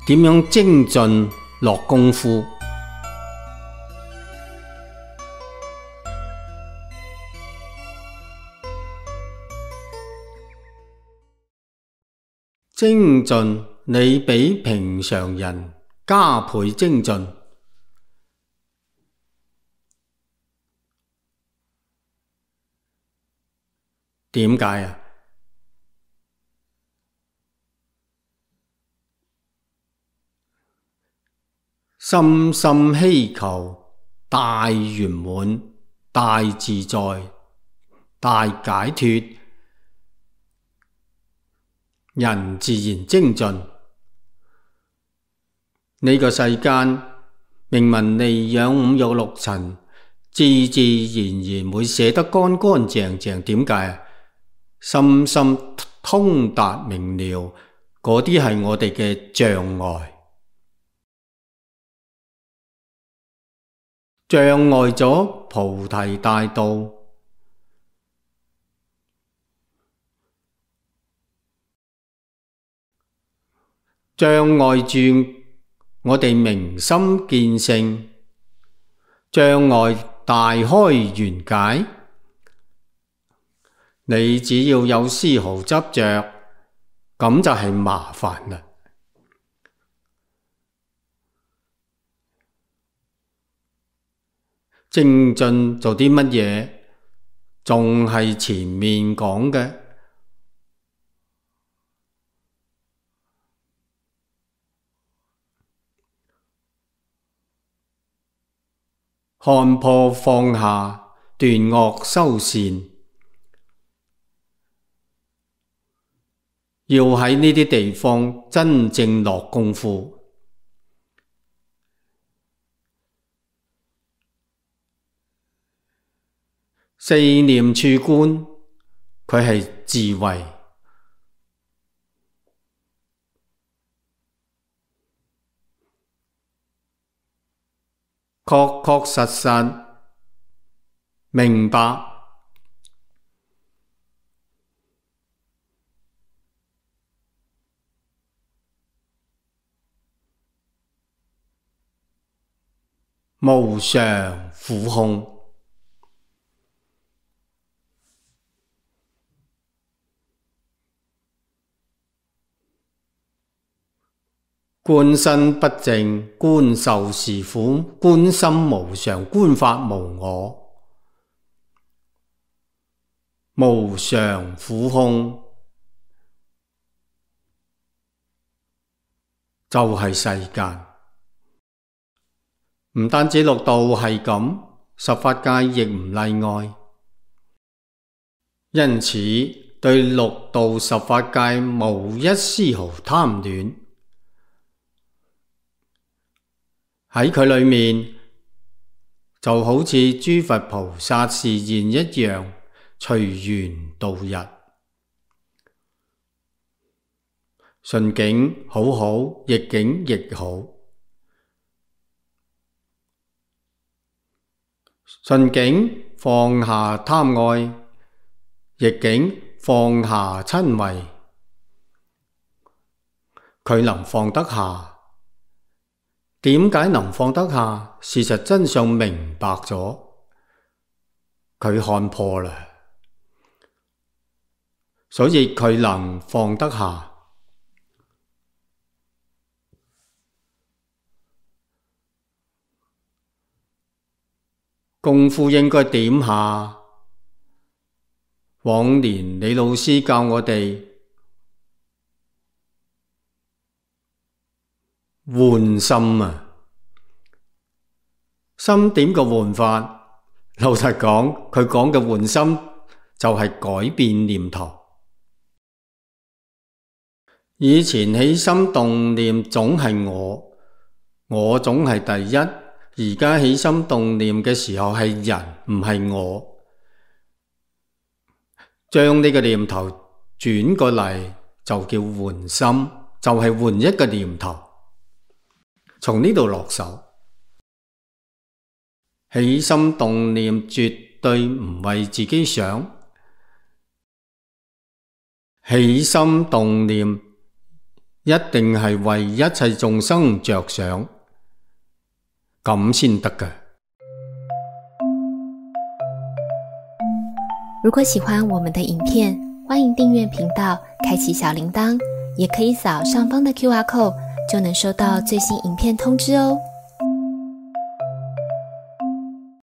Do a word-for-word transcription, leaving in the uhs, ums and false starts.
點樣精進落功夫？精進，你比平常人加倍精進。點解啊？深深希求大圓滿、大自在、大解脫，人自然精進。呢個世間明文利養五欲六塵，自自然然會寫得乾乾淨淨。點解啊？深深通達明了，嗰啲係我哋嘅障礙。障礙咗菩提大道，障礙住我哋明心見性，障礙大開圓解。你只要有絲毫執着，咁就係麻煩啦。精進做啲乜嘢？仲係前面講嘅，看破放下，斷惡修善。要喺呢啲地方真正落功夫。四念處觀，佢係智慧，確確實實明白，無常苦空。觀身不淨，觀受是苦，觀心無常，觀法無我，無常苦空就係世間。唔單止六道係咁，十法界亦唔例外。因此，對六道十法界無一絲毫貪戀。喺佢裏面，就好似諸佛菩薩示現一樣，隨緣度日。順境好好，逆境亦好。順境放下貪愛，逆境放下瞋恚，佢能放得下。點解能放得下？事實真相明白咗，佢看破啦，所以佢能放得下。功夫應該點下？往年李老師教我哋換心啊！心點個換法？老實講，佢講嘅換心就係改變念頭。以前起心動念總係我，我總係第一。而家起心動念嘅時候係人，唔係我。將呢個念頭轉過嚟就叫換心，就係換一個念頭。從呢度落手，起心動念絕對唔為自己想，起心動念一定係為一切眾生着想，咁先得㗎。如果喜歡我們的影片，歡迎訂閱頻道，開啟小鈴鐺，也可以掃上方的 Q R code，就能收到最新影片通知哦。